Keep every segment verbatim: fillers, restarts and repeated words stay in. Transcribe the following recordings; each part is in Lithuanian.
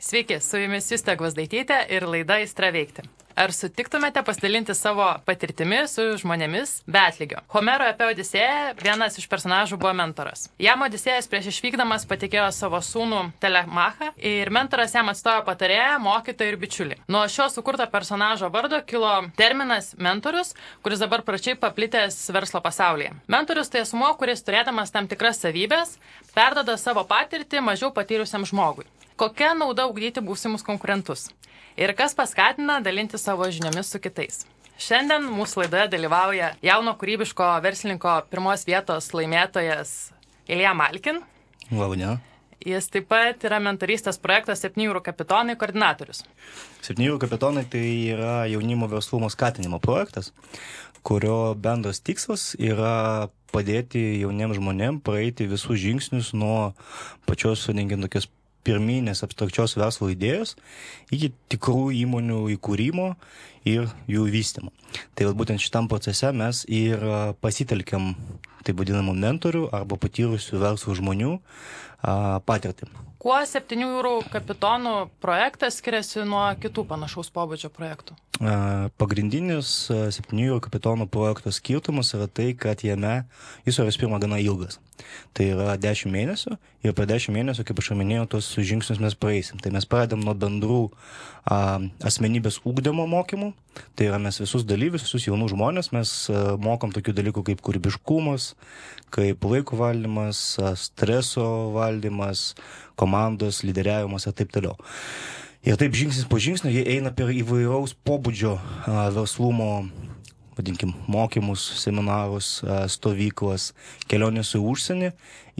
Sveiki, su jumis Justė Gvazdaitytė ir laida Aistra veikti. Ar sutiktumėte pasidalinti savo patirtimi su žmonėmis be atlygio? Homero epe Odisėją vienas iš personažų buvo mentoras. Jam Odisėjas prieš išvykdamas patikėjo savo sūnų Telemachą ir mentoras jam atstojo patarėją, mokytoją ir bičiulį. Nuo šio sukurto personažo vardo kilo terminas mentorius, kuris dabar pračiai paplitęs verslo pasaulyje. Mentorius tai asmuo, kuris turėdamas tam tikras savybės, perdoda savo patirtį mažiau patyrusiam žmogui. Kokia nauda ugdyti būsimus konkurentus? Ir kas paskatina dalinti savo žiniomis su kitais? Šiandien mūsų laidoje dalyvauja jauno kūrybiško verslininko pirmos vietos laimėtojas Ilja Malkin. Labadiena. Jis taip pat yra mentorystės projektas septynių jūrų kapitonai koordinatorius. septynių jūrų kapitonai tai yra jaunimo verslumo skatinimo projektas, kurio bendras tikslas yra padėti jauniems žmonėms praeiti visus žingsnius nuo pačios, vadinkim, tokios pirminės abstrakčios verslo idėjos iki tikrų įmonių įkūrimo ir jų vystymo. Tai būtent šitam procese mes ir pasitelkiam taip vadinamų mentorių arba patyrusių verslo žmonių patirtį. Kuo septynių jūrų kapitonų projektas skiriasi nuo kitų panašaus pobūdžio projektų? Pagrindinis septynių jūrų kapitonų projekto skirtumas yra tai, kad jame jis yra vis pirma gana ilgas. Tai yra dešimt mėnesių ir per dešimt mėnesių, kaip aš minėjau, tos žingsnius mes praeisim. Tai mes pradedam nuo bendrų a, asmenybės ugdymo mokymų. Tai yra mes visus dalyvius, visus jaunus žmonės, mes a, mokom tokių dalykų kaip kūrybiškumas, kaip laiko valdymas, a, streso valdymas, komandos, lyderiavimas ir taip toliau. Ir taip žingsnis po žingsnio jie eina per įvairaus pobūdžio a, verslumo, vadinkim, mokymus, seminarus, a, stovyklas, kelionės į užsienį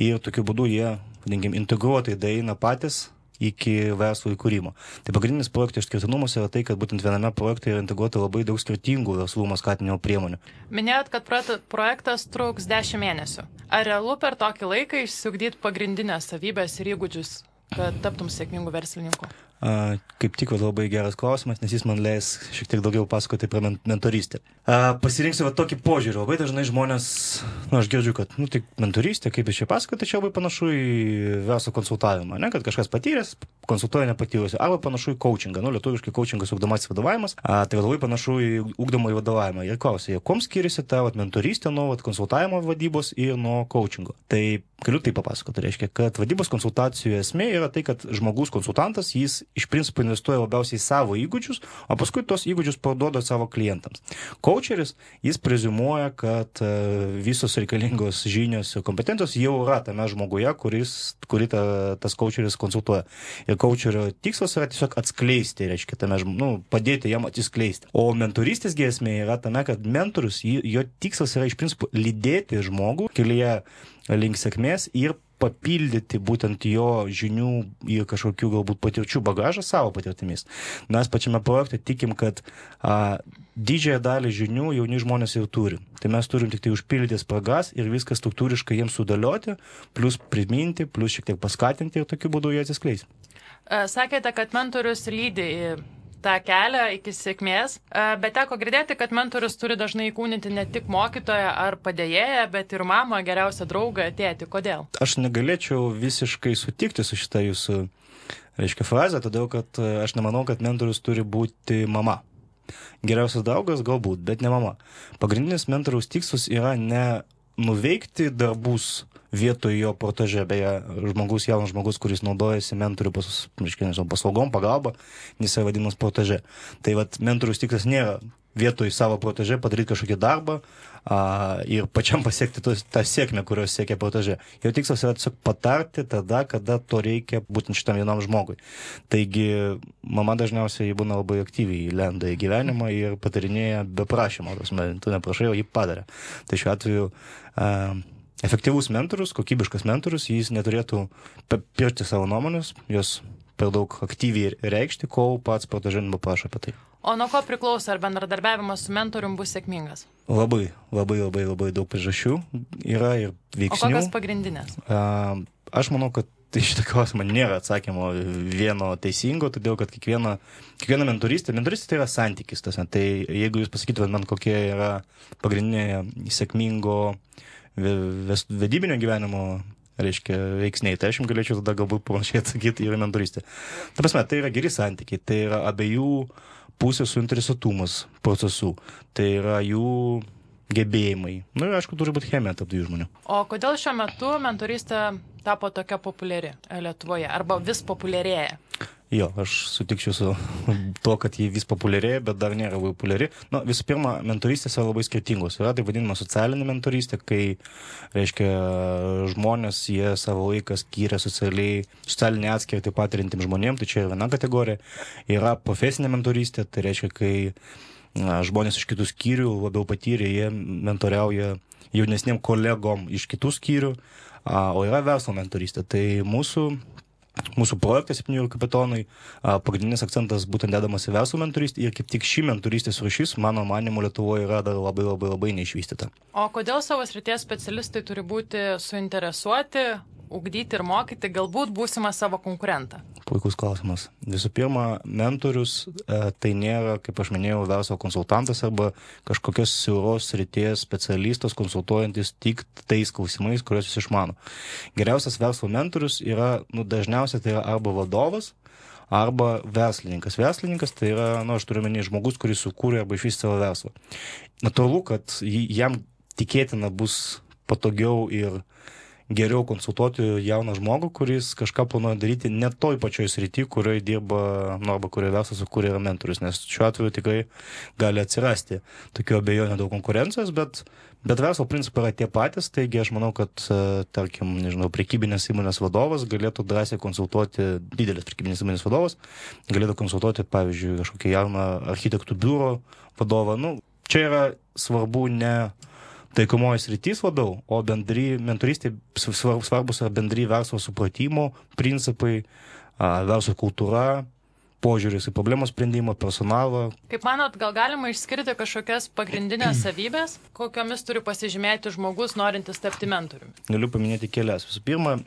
ir tokiu būdu jie, vadinkim, integruotai daeina patys iki verslo įkūrimo. Tai pagrindinis projekto išskirtinumas yra tai, kad būtent viename projekte yra integruota labai daug skirtingų verslumo skatinimo priemonių. Minėjot, kad projektas truks dešimt mėnesių. Ar realu per tokį laiką išsiugdyti pagrindinės savybės ir įgūdžius, kad taptum sėkmingu verslininku? A, kaip tik labai geras klausimas, nes jis man leis šiek tiek daugiau pasakoti apie mentorystę. A, pasirinksiu va tokį požiūrį. Labai dažnai žmonės, nu, aš girdžiu, kad, nu, tai mentorystė, kaip iš čia pasakoti, tai čia labai panašu į verslo konsultavimą, ne, kad kažkas patyręs, konsultuoja nepatyrusi, arba panašu į coachingą, nu, lietuviškai coachingas ugdomasis vadovavimas, a, tai labai panašu į ugdomą į vadovavimą. Ir klausia, kuom skiriasi ta vat, mentorystė nuo vat, konsultavimo vadybos ir nuo coachingo. Tai galiu tai papasakoti, reiškia, kad vadybos konsultacijų esmė yra tai, kad žmogus konsultantas, jis iš principo investuoja labiausiai į savo įgūdžius, o paskui tos įgūdžius parduoda savo klientams. Coacheris, jis preziumuoja, kad visos reikalingos žinios ir kompetencijos jau yra tame žmoguje, kuris, kurį ta, tas coacheris konsultuoja. Ir coacherio tikslas yra tiesiog atskleisti, reiškia, tame, nu, padėti jam atsiskleisti. O mentorystės esmė yra tame, kad mentorius, jo tikslas yra iš principo lydėti žmogų kelyje link sėkmės ir papildyti būtent jo žinių ir kažkokių galbūt patirčių bagažą savo patirtimis. Mes pačiame projekte tikim, kad a, didžiąją dalį žinių jauni žmonės jau turi. Tai mes turim tik tai užpildyti spragas ir viską struktūriškai jiems sudėlioti, plus priminti, plus šiek tiek paskatinti ir tokiu būdu jie atsiskleis. Sakėte, kad mentorius lydi į tą kelią iki sėkmės, bet teko girdėti, kad mentorius turi dažnai įkūninti ne tik mokytoją ar padėjėją, bet ir mamą, geriausią draugą, tėtį. Kodėl? Aš negalėčiau visiškai sutikti su šitą jūsų, reiškia, frazę, todėl kad aš nemanau, kad mentorius turi būti mama. Geriausias draugas galbūt, bet ne mama. Pagrindinis mentoriaus tikslas yra ne nuveikti darbus vietoj jo proteže, beje, žmogus, jaunas žmogus, kuris naudojasi mentorių pas, paslaugom, pagalba, jis yra vadinamas proteže. Tai vat mentoriaus tikslas nėra vietoj savo proteže padaryti kažkokį darbą a, ir pačiam pasiekti tos, tą sėkmę, kurios siekia proteže. Jo tikslas yra tiesiog patarti tada, kada to reikia būtent šitam vienam žmogui. Taigi, mama dažniausiai būna labai aktyviai lenda į gyvenimą ir patarinėja be prašymo. Tu neprašai, o jį padarė. Tai šiuo atveju a, efektyvus mentorius, kokybiškas mentorius, jis neturėtų pirkti savo nuomonės, jos per daug aktyviai reikšti, kol pats proteže nepaprašo apie tai. O nuo ko priklauso, ar bendradarbiavimas su mentorium bus sėkmingas? Labai, labai, labai, labai daug priežasčių yra ir veiksnių. O kokios pagrindinės? A, aš manau, kad tai šitą klausimą nėra atsakymo vieno teisingo, todėl kad kiekviena, kiekviena mentorystė, mentorystė tai yra santykis. Tas, tai jeigu jūs pasakytumėt man, kokie yra pagrindinė sėkmingo vedybinio gyvenimo reiškia, veiksniai. Tai aš jums galėčiau tada galbūt panašiai atsakyti ir mentorystė. Ta prasme, tai yra geri santykiai, tai yra abiejų pusės suinteresuotumas procesų, tai yra jų gebėjimai. Nu ir aišku, turi būti chemija tarp dviejų žmonių. O kodėl šiuo metu mentorystė tapo tokia populiari Lietuvoje arba vis populiarėja? Jo, aš sutikčiau su to, kad jį vis populiarėja, bet dar nėra labai populiari. Na, visų pirma, mentorystės yra labai skirtingos. Yra taip vadinama socialinė mentorystė, kai, reiškia, žmonės, jie savo laiką skyrė socialiai, socialinį atskirtį patirintiem žmonėm, tai čia yra viena kategorija. Yra profesinė mentorystė, tai reiškia, kai na, žmonės iš kitų skyrių labiau patyrė, jie mentoriauja jaunesniem kolegom iš kitų skyrių, o yra verslo mentorystė. Tai mūsų Mūsų projektas septynių kapitonai, pagrindinis akcentas būtent dedamas į verslo mentorystę ir kaip tik ši mentorystės rūšis, mano manymu, Lietuvoje yra dar labai labai labai neišvystyta. O kodėl savo srities specialistai turi būti suinteresuoti, ugdyti ir mokyti galbūt būsimą savo konkurentą? Puikus klausimas. Visų pirma, mentorius e, tai nėra, kaip aš minėjau, verslo konsultantas arba kažkokios siauros srities specialistas konsultuojantis tik tais klausimais, kuriuos jis išmano. Geriausias verslo mentorius yra, nu, dažniausiai tai yra arba vadovas, arba verslininkas. Verslininkas tai yra, nu, aš turiu menį žmogus, kuris sukūrė arba išvystė savo verslą. Natūralu, kad jam tikėtina bus patogiau ir geriau konsultuoti jauną žmogų, kuris kažką planuoja daryti ne toj pačioj srity, kurioje dirba, nu, arba kurioje verslas sukūrė yra mentorius, nes šiuo atveju tikrai gali atsirasti tokių abejonių dėl konkurencijos, bet, bet verslo principai yra tie patys, taigi aš manau, kad, tarkim, nežinau, prekybinės įmonės vadovas galėtų drąsiai konsultuoti, didelis prekybinės įmonės vadovas galėtų konsultuoti, pavyzdžiui, kažkokį jauną architektų biuro vadovą. Nu, čia yra svarbu ne taikomoji sritys labiau, o bendri mentorystė svarbus yra bendri verslo supratimo principai, verslo kultūra, požiūris į problemos sprendimą, personalą. Kaip manot, gal galima išskirti kažkokias pagrindinės savybės, kokiomis turi pasižymėti žmogus, norintis tapti mentoriumi? Galiu paminėti kelias. Visų pirma,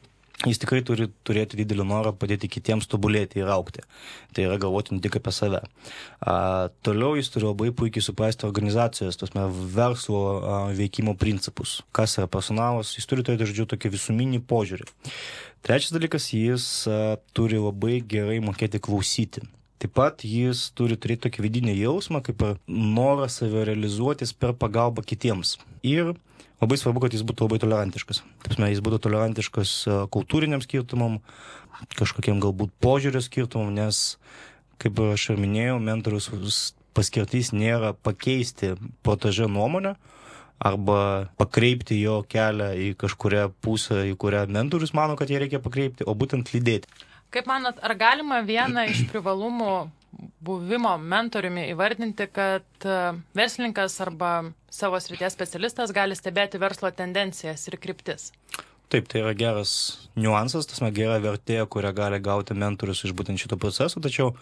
jis tikrai turi turėti didelį norą padėti kitiems tobulėti ir augti. Tai yra galvoti ne tik apie save. A, toliau jis turi labai puikiai suprasti organizacijos, tasme, verslo a, veikimo principus. Kas yra personalas, jis turi turėti, žodžiu, tokį visuminį požiūrį. Trečias dalykas, jis a, turi labai gerai mokėti klausyti. Taip pat jis turi turėti tokį vidinį jausmą, kaip ir norą save realizuotis per pagalbą kitiems. Ir labai svarbu, kad jis būtų labai tolerantiškas. Taip, jis būtų tolerantiškas kultūriniam skirtumam, kažkokiem galbūt požiūrio skirtumam, nes, kaip aš ir minėjau, mentorius paskirtis nėra pakeisti protežę nuomonę arba pakreipti jo kelią į kažkurią pusę, į kurią mentorius mano, kad jie reikia pakreipti, o būtent lydėti. Kaip manot, ar galima vieną iš privalumų buvimo mentoriumi įvardinti, kad verslininkas arba savo srities specialistas gali stebėti verslo tendencijas ir kryptis? Taip, tai yra geras niuansas, tas gera vertė, kurią gali gauti mentorius iš būtent šito proceso, tačiau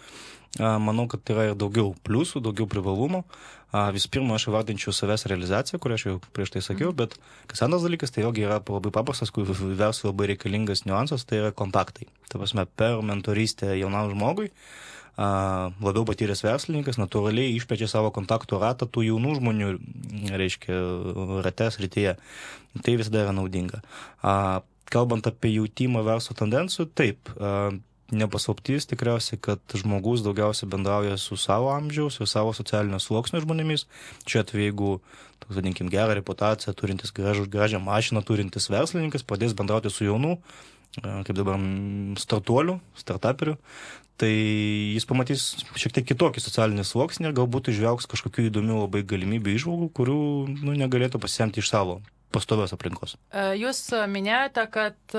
a, manau, kad tai yra ir daugiau pliusų, daugiau privalumų. A, vis pirma, aš įvardinčiau savęs realizaciją, kurią aš jau prieš tai sakiau, bet kas antras dalykas, tai vėlgi yra labai paprastas, kur verslo labai reikalingas niuansas, tai yra kontaktai. Tai prasme, per mentorystę jaunam žmogui a, labiau patyręs verslininkas natūraliai išplečia savo kontaktų ratą tų jaunų žmonių, reiškia, rates rytyje. Tai visada yra naudinga. A, kalbant apie jautimą verslo tendencijų, taip, a, nepaslaptis tikriausiai, kad žmogus daugiausiai bendrauja su savo amžiaus ir savo socialinio sluoksnio žmonėmis. Čia atveju, jeigu, toks vadinkim, gerą reputaciją turintis, gražų, gražią mašiną turintis verslininkas pradės bendrauti su jaunų, kaip dabar, startuolių, startuperių, tai jis pamatys šiek tiek kitokį socialinį sluoksnį ir galbūt išvelgs kažkokių įdomių labai galimybių įžvalgų, kurių nu, negalėtų pasisemti iš savo pastovios aplinkos. Jūs minėjote, kad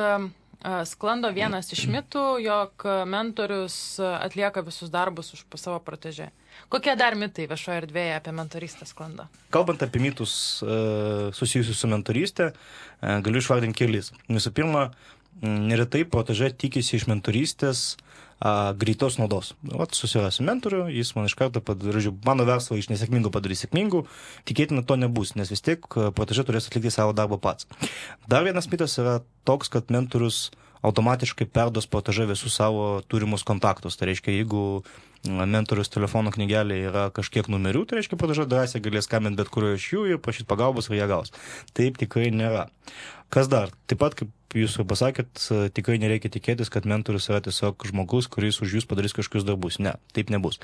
sklando vienas iš mitų, jog mentorius atlieka visus darbus už savo protežę. Kokie dar mitai viešoje erdvėje apie mentorystę sklando? Kalbant apie mitus susijusius su mentorystė, galiu išvardinti kelis. Visų pirma, neretai protežė tikisi iš mentorystės a, greitos naudos. Vat susirasiu mentorių, jis man iš karto padarys, mano verslą iš nesėkmingų padarys sėkmingų, tikėtina to nebus, nes vis tiek protežė turės atlikti savo darbą pats. Dar vienas mitas yra toks, kad mentorius automatiškai perduos protežė visus savo turimus kontaktus. Tai reiškia, jeigu mentorius telefono knygelėje yra kažkiek numerių, tai reiškia, protežė drąsiai galės skambinti bet kurio iš jų ir prašyti pagalbos ir ją gaus. Taip tikrai nėra. Kas dar? Taip pat, kaip jūs jau pasakėt, tikrai nereikia tikėtis, kad mentorius yra tiesiog žmogus, kuris už jūs padarys kažkokius darbus. Ne, taip nebus.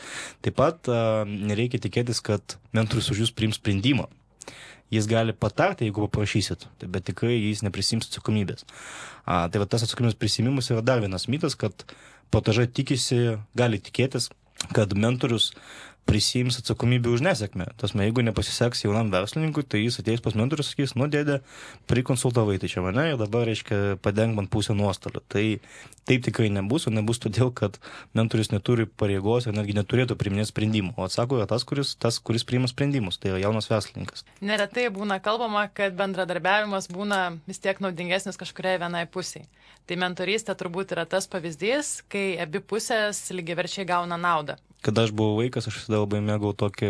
Taip pat nereikia tikėtis, kad mentorius už jūs priims sprendimą. Jis gali patarti, jeigu paprašysit, bet tikrai jis neprisims atsakomybės. A, tai va tas atsakomybės prisimimas yra dar vienas mitas, kad protežė tikisi, gali tikėtis, kad mentorius prisiims atsakomybę už nesėkmę. Tasme, jeigu nepasiseks jaunam verslininkui, tai jis ateis pas mentorius ir sakys, nu dėdė, prikonsultavai tai čia mane ir dabar, reiškia, padeng man pusę nuostolių. Tai taip tikrai nebus, o nebus todėl, kad mentorius neturi pareigos ir netgi neturėtų priiminėti sprendimų. O atsako yra tas, kuris, tas, kuris priima sprendimus, tai yra jaunas verslininkas. Neretai būna kalbama, kad bendradarbiavimas būna vis tiek naudingesnis kažkuriai vienai pusiai. Tai mentorystė turbūt yra tas pavyzdys, kai abi pusės lygiaverčiai gauna naudą. Kada aš buvau vaikas, aš visada labai mėgau tokį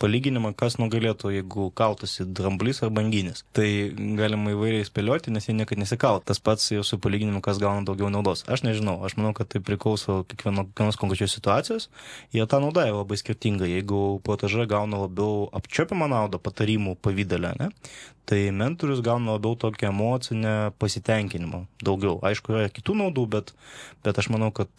palyginimą, kas nugalėtų, jeigu kaltasi dramblys ar banginis. Tai galima įvairiai spėlioti, nes jie niekad nesikalt. Tas pats jau su palyginimu, kas gauna daugiau naudos. Aš nežinau, aš manau, kad tai priklauso kiekvienos konkrečios situacijos. Ir ta nauda yra labai skirtinga. Jeigu protežė gauna labiau apčiuopiamą naudą patarimų pavidalę, ne? Tai mentorius gauna labiau tokią emocinę pasitenkinimą. Daugiau. Aišku, yra kitų naudų, bet, bet aš manau, kad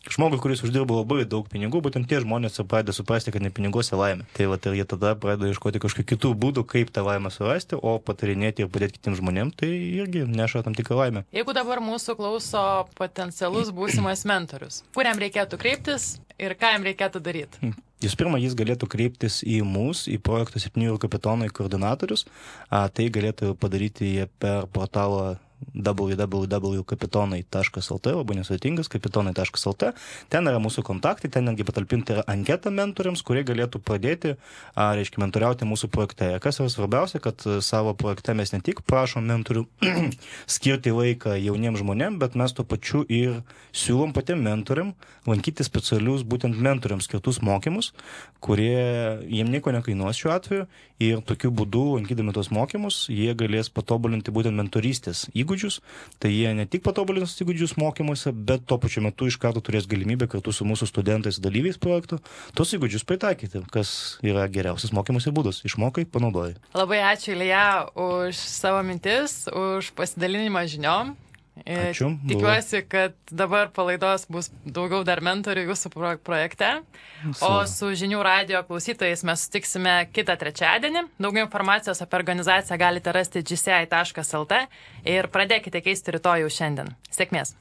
žmogui, kuris uždirba labai daug pinigų, būtent tie žmonės pradeda suprasti, kad ne piniguose laimė. Tai va, ir jie tada pradeda ieškoti kažkokių kitų būdų, kaip tą laimę surasti, o patarinėti ir padėti kitiems žmonėms, tai irgi neša tam tikrą laimę. Jeigu dabar mūsų klauso potencialus būsimas mentorius, kuriam reikėtų kreiptis ir ką jam reikėtų daryti? Jūs pirma, jis galėtų kreiptis į mus, į projekto septynių kapitonai koordinatorius. A, tai galėtų padaryti jie per portalą w w w taškas kapitonai taškas l t, labai nesudėtingas, kapitonai taškas l t. Ten yra mūsų kontaktai, ten netgi patalpinti yra anketą mentoriams, kurie galėtų pradėti, a, reiškia, mentoriauti mūsų projekte. Kas yra svarbiausia, kad savo projekte mes ne tik prašom mentorių skirti laiką jauniems žmonėms, bet mes tuo pačiu ir siūlom patiem mentoriam lankyti specialius būtent mentoriams skirtus mokymus, kurie jiem nieko nekainuos šiuo atveju ir tokiu būdu, lankydami tos mokymus, jie galės patobulinti būtent mentorystės įgūdžius. Tai jie ne tik patobulins įgūdžius mokymuose, bet tuo pačiu metu iš karto turės galimybę kartu su mūsų studentais dalyviais projektų tos įgūdžius pritaikyti, kas yra geriausias mokymosi būdas. Išmokai, panaudojai. Labai ačiū, Ilja, už savo mintis, už pasidalinimą žiniom. Ačiū. Tikiuosi, kad dabar palaidos bus daugiau dar mentorių jūsų projekte. O su Žinių radijo klausytojais mes sutiksime kitą trečiadienį. Daugiau informacijos apie organizaciją galite rasti g c i taškas l t ir pradėkite keisti rytoj jau šiandien. Sėkmės!